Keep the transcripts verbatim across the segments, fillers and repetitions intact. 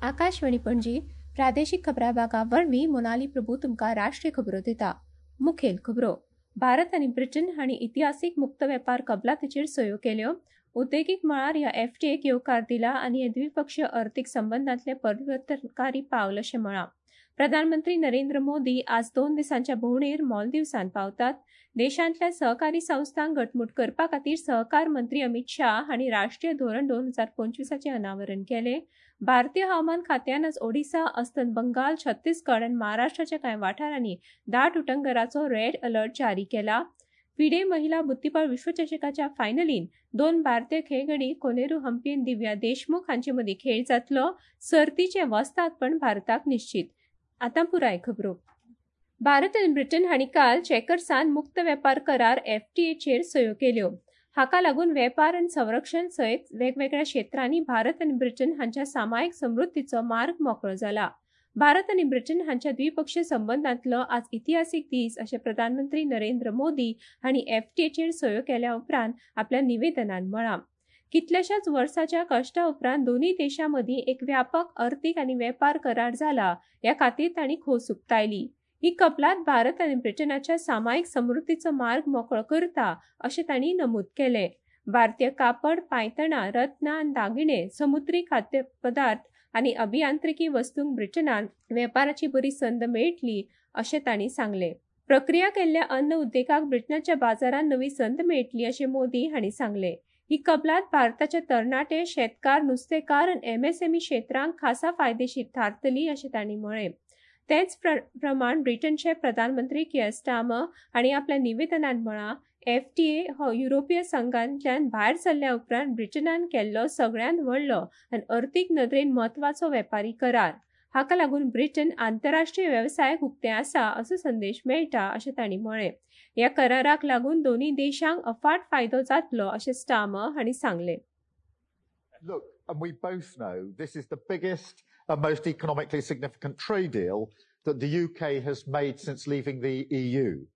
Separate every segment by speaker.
Speaker 1: आकाशवाणी पणजी प्रादेशिक खबरां भागा वरवीं मोनाली प्रभू तुमकां राष्ट्रीय खबरो दिता. मुखेल खबरो. भारत आनी ब्रिटन हांणी इतिहासीक मुक्त वेपार कबलातीचेर सयो केल्यो. उद्देगीक मळार ह्या एफटीएक येवकार दिला आनी हे द्विपक्षीय अर्थीक संबंदांतले परिवर्तनकारी पावल अशें म्हळां. प्रधानमंत्री नरेंद्र मोदी आज दोन दिसांच्या भोंवडेर मालदिव्सांत पावतात. देशांतल्या सहकारी संस्थांक घटमूट करपा खातीर सहकार मंत्री अमित शाह हांणी राष्ट्रीय धोरण दोन हजार पंचवीसाचें अनावरण केलें. भारतीय हवामान खात्यान आज ओडिसा, अस्तंत बंगाल, छत्तीसगड आनी महाराष्ट्राच्या कांय वाठारांनी दाट उटंगराचो रेड अलर्ट जारी केला. फिडे महिला बुद्दीबळ विश्वचषकाच्या फायनलीन दोन भारतीय खेळगडी कोनेरू हम्पी आनी दिव्या देशमुख हांचे मदीं खेळ जातलो. सर्तीचें वस्तादपण भारताक निश्चीत. आतां पुराय खबरो. भारत आनी ब्रिटन हांणी काल चेकर्सान मुक्त वेपार करार एफटीएचेर सयो केल्यो. हाका लागून वेपार आनी संरक्षण सयत वेगवेगळ्या क्षेत्रांनी भारत आनी ब्रिटन हांच्या सामायिक समृद्धीचो मार्ग मोकळो जाला. भारत आनी ब्रिटन हांच्या द्विपक्षीय संबंदांतलो आज इतिहासीक दीस अशें प्रधानमंत्री नरेंद्र मोदी हांणी एफटीएचेर सयो केल्या उपरांत आपल्या निवेदनान म्हळां. कितल्याशाच वर्साच्या कश्टा उपरांत दोनूय देशां मदीं एक व्यापक अर्थीक आनी वेपार करार जाला ह्या खातीर तांणी खोस उक्तायली. ही कबलात भारत आनी ब्रिटनाच्या सामायिक समृद्धीचो मार्ग मोकळो करता अशें तांणी नमूद केलें. भारतीय कापड, पांयतणां, रत्नां आनी दागिने, समुद्री खाद्यपदार्थ आनी अभियांत्रिकी वस्तूंक ब्रिटनान वेपाराची बरी संद मेळटली अशें तांणी सांगलें. प्रक्रिया केल्ल्या अन्न उद्देगाक ब्रिटनाच्या बाजारांत नवी संद मेळटली अशें मोदी हांणी सांगलें. ही कबलात भारताचे तरणाटे, शेतकार, नुस्तेकार आनी एमएसएमई क्षेत्रांक खासा फायदेशीर थारतली अशें तांणी म्हळें. तेच प्रमाण ब्रिटनचे प्रधानमंत्री कियर स्टार्मर हांणी आपल्या निवेदनान म्हळां, एफटीए हो युरोपीय संघांतल्यान भायर सरल्या उपरांत ब्रिटनान केल्लो सगळ्यांत व्हडलो आनी अर्थीक नदरेन म्हत्वाचो वेपारी करार. हाका लागून ब्रिटन आंतरराष्ट्रीय वेवसायाक उक्तें आसा असो संदेश मेळटा अशें तांणी म्हळें. ह्या कराराक लागून दोनूय देशांक अफाट फायदो जातलो अशें स्टार्मर हांणी सांगलें.
Speaker 2: Look, and we both know this is the biggest and most economically significant trade deal that the U K has made since leaving the E U.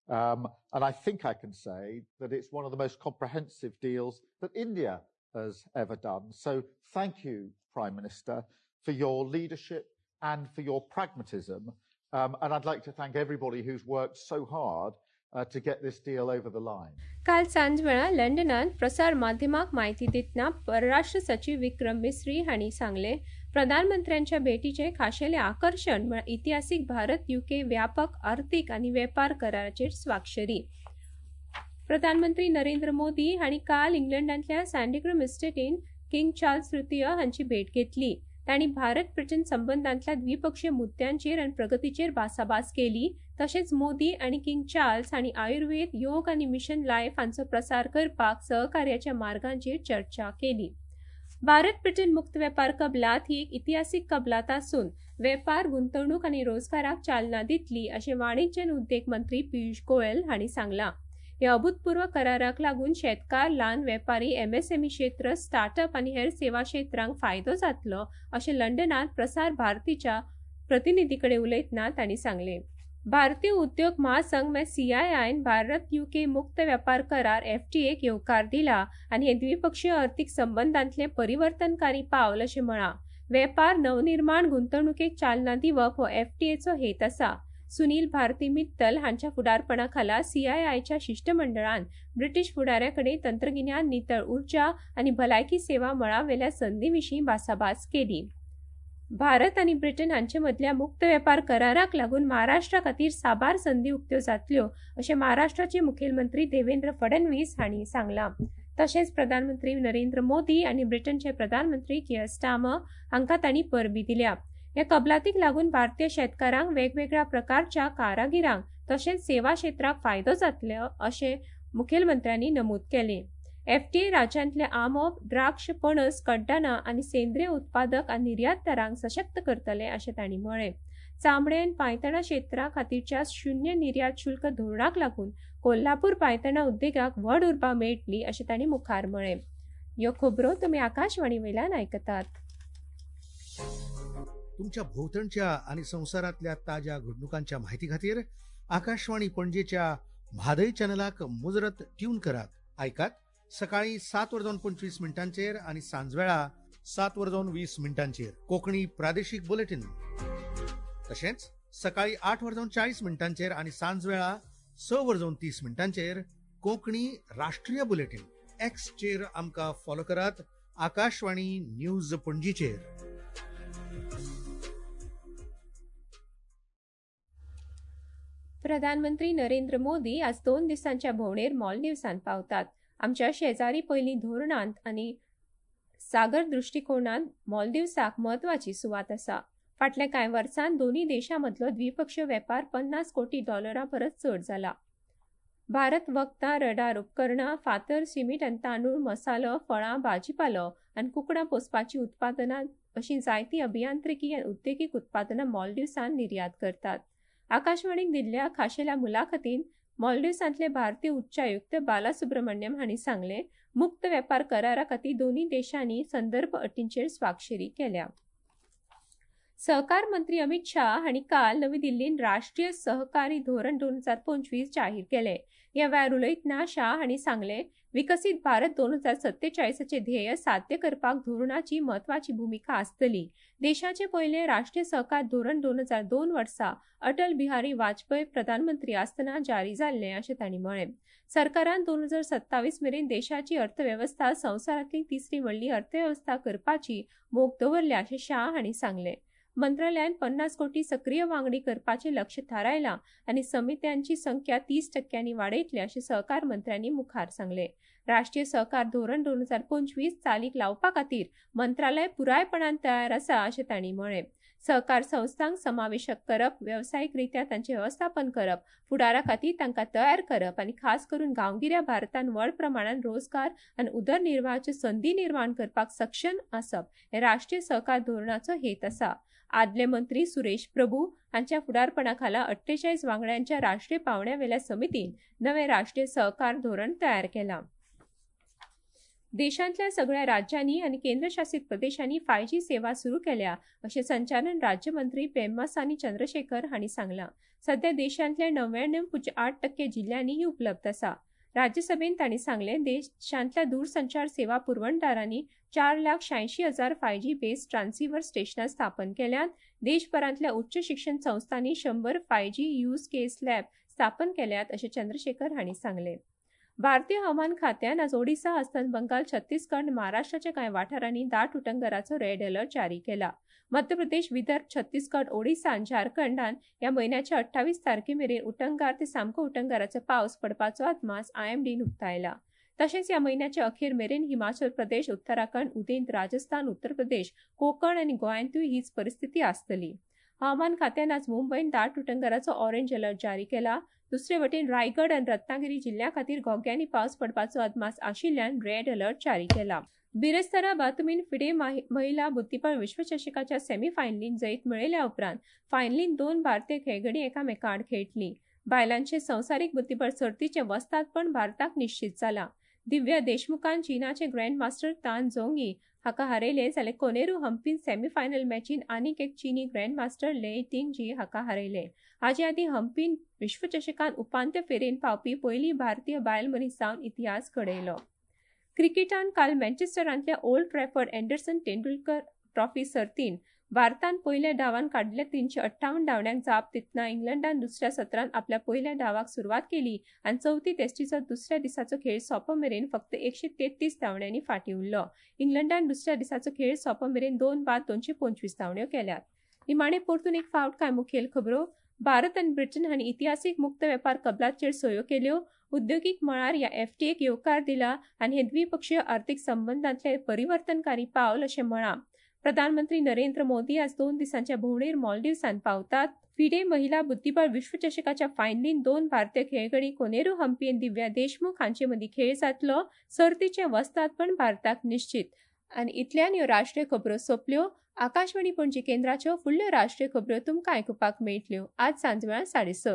Speaker 2: Um, and I think I can say that it's one of the most comprehensive deals that India has ever done. So thank you, Prime Minister, for your leadership and for your pragmatism. Um, and I'd like to thank everybody who's worked so hard uh, to get this deal over the line.
Speaker 1: काल सांजवेळा लंडनांत प्रसार माध्यमाक म्हायती दितना परराष्ट्र सचीव विक्रम मिस्री हांणी सांगलें, प्रधानमंत्र्यांच्या भेटीचें खाशेलें आकर्शण म्हळ्यार इतिहासीक भारत युके व्यापक अर्थीक आनी वेपार कराराचेर स्वाक्षरी. प्रधानमंत्री नरेंद्र मोदी हांणी काल इंग्लंडांतल्या सँडिग्रम इस्टेटीन किंग चार्ल्स तृतीय हांची भेट घेतली. तांणी भारत ब्रिटन संबंदांतल्या द्विपक्षीय मुद्द्यांचेर आनी प्रगतीचेर भासाभास केली. तशेंच मोदी आनी किंग चार्ल्स हांणी आयुर्वेद, योग आनी मिशन लायफ हांचो प्रसार करपाक सहकार्याच्या मार्गांचेर चर्चा केली. भारत ब्रिटन मुक्त वेपार कबलात ही एक इतिहासीक कबलात आसून वेपार, गुंतवणूक आनी रोजगाराक चालना दितली अशें वाणिज्य आनी उद्देग मंत्री पियुष गोयल हांणी सांगलां. ह्या अभूतपूर्व कराराक लागून शेतकार, ल्हान वेपारी, एमएसएमई क्षेत्र, स्टार्टअप आनी हेर सेवा क्षेत्रांक फायदो जातलो अशें लंडनांत प्रसार भारतीच्या प्रतिनिधी कडेन उलयतना तांणी सांगलें. भारतीय उद्योग महासंघ म्हळ्यार सीआयआयन भारत युके मुक्त वेपार करार एफटीएक येवकार दिला आनी हे द्विपक्षीय अर्थीक संबंदांतलें परिवर्तनकारी पावल अशें म्हळां. वेपार, नवनिर्माण, गुंतवणुकेक चालना दिवप हो एफटीएचो हेत आसा. सुनील भारती मित्तल हांच्या फुडारपणा खाला सीआयआयच्या शिश्टमंडळान ब्रिटीश फुडाऱ्या कडेन तंत्रगिन्यान, नितळ उर्जा आनी भलायकी सेवा मळावेल्या संदी विशीं भासाभास केली. भारत आनी ब्रिटन हांचे मदल्या मुक्त वेपार कराराक लागून महाराष्ट्रा खातीर साबार संदी उक्त्यो जातल्यो अशें महाराष्ट्राचे मुखेलमंत्री देवेंद्र फडणवीस हांणी सांगलां. तशेंच प्रधानमंत्री नरेंद्र मोदी आनी ब्रिटनचे प्रधानमंत्री कियर स्टार्मर हांकां तांणी परबी दिल्या. ह्या कबलातीक लागून भारतीय शेतकारांक, वेगवेगळ्या प्रकारच्या कारागिरांक तशेंच सेवा क्षेत्राक फायदो जातलो अशें मुखेलमंत्र्यांनी नमूद केलें. एफटीए राज्यांतले आंबो, द्राक्ष, पणस, कड्डणां आनी सेंद्रीय उत्पादक आनी निर्यातदारांक सशक्त करतले अशें तांणी म्हळें. चामडें आनी पांयतणां क्षेत्रा खातीरच्या शुन्य निर्यात शुल्क धोरणाक लागून कोल्हापूर पांयतणां उद्देगाक व्हड उर्बा मेळटली अशें तांणी मुखार म्हळें. ह्यो खबरो तुमी आकाशवाणी वयल्यान आयकतात.
Speaker 3: तुमच्या भोवतणच्या आनी संवसारांतल्या ताज्या घडणुकांच्या माहिती खातीर आकाशवाणी पणजेच्या म्हादय चॅनलाक मुजरत ट्यून करात. आयकात सकाळी सात वर जावन पंचवीस मिनटांचेर आनी सांजवेळा सात वर जावन वीस मिनटांचेर कोंकणी प्रादेशीक बुलेटीन. तशेंच सकाळी आठ वर जावन चाळीस मिनटांचेर आनी सांजवेळा स वर जावन तीस मिनटांचेर कोंकणी राष्ट्रीय बुलेटीन. एक्सचेर आमकां फॉलो करात आकाशवाणी न्यूज पणजीचेर.
Speaker 1: प्रधानमंत्री नरेंद्र मोदी आज दोन दिसांच्या भोंवडेर मालदीवसान पावतात. आमच्या शेजारी पयलीं धोरणांत आनी सागर दृश्टिकोणांत मालदीवसाक म्हत्वाची सुवात आसा. फाटल्या कांय वर्सांत दोनूय देशां मदलो द्विपक्षीय वेपार पन्नास कोटी डॉलरां परस चड जाला. भारत वखदां, रडार उपकरणां, फातर, सिमीट आनी तांदूळ, मसालो, फळां, भाजीपालो आनी कुकडां पोसपाचीं उत्पादनां अशीं जायतीं अभियांत्रिकी आनी उद्देगीक उत्पादनां मालदीवसान निर्यात करतात. आकाशवाणीक दिल्ल्या खाशेल्या मुलाखतीन मालदीवसांतले भारतीय उच्चायुक्त बालासुब्रमण्यम हांणी सांगलें, मुक्त वेपार करारा खातीर दोनूय देशांनी संदर्भ अटींचेर स्वाक्षरी केल्या. सहकार मंत्री अमित शाह हांणी काल नवी दिल्लीन राष्ट्रीय सहकारी धोरण दोन हजार पंचवीस जाहीर केले. ह्या वेळार उलयतना शाह हांणी सांगलें, विकसीत भारत दोन हजार सत्तेचाळीसाचे ध्येय साध्य करपाक धोरणाची म्हत्वाची भुमिका आसतली. देशाचे पयले राष्ट्रीय सहकार धोरण दोन हजार दोन वर्सा अटल बिहारी वाजपेयी प्रधानमंत्री आसतना जारी जाल्लें अशें तांणी म्हळें. सरकारान दोन हजार सत्तावीस मेरेन देशाची अर्थवेवस्था संवसारांतली तिसरी व्हडली अर्थवेवस्था करपाची मोख दवरल्या अशें शाह हांणी सांगलें. मंत्रालयान पन्नास कोटी सक्रीय वांगडी करपाचें लक्ष थारायलां आनी समित्यांची संख्या तीस टक्क्यांनी वाडयतले अशें सहकार मंत्र्यांनी मुखार सांगलें. राष्ट्रीय सहकार धोरण दोन हजार पंचवीस चालीक लावपा खातीर मंत्रालय पुरायपणान तयार आसा अशें तांणी म्हळें. सहकार संस्थांक समावेशक करप, वेवसायीक रित्या तांचें वेवस्थापन करप, फुडारा खातीर तांकां तयार करप आनी खास करून गांवगिऱ्या भारतान व्हड प्रमाणान रोजगार आनी उदरनिर्वाहाच्यो संदी निर्माण करपाक सक्षम आसप हें राष्ट्रीय सहकार धोरणाचो हेत आसा. आदले मंत्री सुरेश प्रभू हांच्या फुडारपणा खाला अठ्ठेचाळीस वांगड्यांच्या राष्ट्रीय पावंड्यावेल्या समितीन नवें राष्ट्रीय सहकार धोरण तयार केलां. देशांतल्या सगळ्या राज्यांनी आनी केंद्रशासित प्रदेशांनी फाय जी सेवा सुरू केल्या अशें संचालन राज्यमंत्री पेम्मासानी चंद्रशेखर हांणी सांगलां. सध्या देशांतल्या णव्याण्णव पूज्य आठ टक्के जिल्ल्यांनी ही उपलब्ध आसा. राज्यसभेन तांणी सांगलें, देशांतल्या दूरसंचार सेवा पुरवणदारांनी चार लाख शहाऐंशी हजार फाय जी बेस ट्रान्सिव्हर स्टेशनां स्थापन केल्यांत. देशभरांतल्या उच्च शिक्षण संस्थांनी शंबर five G use case lab स्थापन केल्यात अशें चंद्रशेखर हांणी सांगलें. भारतीय हवामान खात्यान आज ओडिसा, अस्तंत बंगाल, छत्तीसगड, महाराष्ट्राच्या कांय वाठारांनी दाट उटंगराचो रेड अलर्ट जारी केला. मध्य प्रदेश, विदर्भ, छत्तीसगड, ओडिसा आनी झारखंडान ह्या म्हयन्याच्या अठ्ठावीस तारखे मेरेन उटंगार ते सामको उटंगाराचो पावस पडपाचो अदमास आयएमडीन उक्तायला. तशेंच ह्या म्हयन्याच्या अखेर मेरेन हिमाचल प्रदेश, उत्तराखंड, उदेंत राजस्थान, उत्तर प्रदेश, कोकण आनी गोंयांतूय हीच परिस्थिती आसतली. हवामान खात्यान आज मुंबयन दाट उटंगाराचो ऑरेंज अलर्ट जारी केला. दुसरे वटेन रायगड आनी रत्नागिरी जिल्ल्या खातीर घोग्यांनी पावस पडपाचो अदमास आशिल्ल्यान रेड अलर्ट जारी केला. बिरेस्तारा बातमीन फिडे महिला बुद्धिबळ विश्वचषकाच्या सेमीफायनलीन जैत मेळयल्या उपरांत फायनलीन दोन भारतीय खेळगडी एकामेका आड खेळटली. बायलांचे संवसारीक बुद्धिबळ सर्तीचें वस्तादपण भारताक निश्चित जालां. दिव्या देशमुखान चीनाचे ग्रँड मास्टर तान झोंगी हाका हारयले जाल्यार कोनेरू हम्पीन सेमीफायनल मॅचीन आनीक एक चीनी ग्रँड मास्टर ले टिंग जी हाका हारयले. हाचे आदीं हम्पीन विश्वचषकान उपांत्य फेरेन पावपी पयली भारतीय बायल मनीस जावन इतिहास घडयलो. क्रिकेटान काल मँचेस्टरांतल्या Old Trafford Anderson Tendulkar trophy सर्तीन भारतान पयल्या डावान काडल्या तीनशे अठ्ठावन्न धांवड्यांक जाप दितना इंग्लंडान दुसऱ्या सत्रांत आपल्या पयल्या डावाक सुरवात केली आनी चवथी टेस्टीचो दुसऱ्या दिसाचो खेळ सोंपो मेरेन फक्त एकशे तेत्तीस धांवड्यांनी फाटीं उरलो. इंग्लंडान दुसऱ्या दिसाचो खेळ सोंपो मेरेन दोन बाद दोनशे पंचवीस धांवड्यो केल्यात. निमाणे परतून एक फावट कांय मुखेल खबरो. भारत आनी ब्रिटन हांणी इतिहासीक मुक्त वेपार कबलातचेर सयो केल्यो. उद्योगीक मळार ह्या एफटीएक येवकार दिला आनी हे द्विपक्षीय आर्थिक संबंदांतले परिवर्तनकारी पावल अशें म्हळां. प्रधानमंत्री नरेंद्र मोदी आज दोन दिसांच्या भोंवडेर मालदीवसान पावतात. फिडे महिला बुद्धिबळ विश्वचषकाच्या फायनलीन दोन भारतीय खेळगडी कोनेरू हम्पी आनी दिव्या देशमुख हांचे मदीं खेळ जातलो. सर्तीचें वस्तादपण भारताक निश्चित. आनी इतल्यान ह्यो राष्ट्रीय खबरो सोंपल्यो. आकाशवाणी पणजी केंद्राच्यो फुडल्यो राष्ट्रीय खबरो तुमकां आयकुपाक मेळटल्यो आज सांजवेळा साडे स.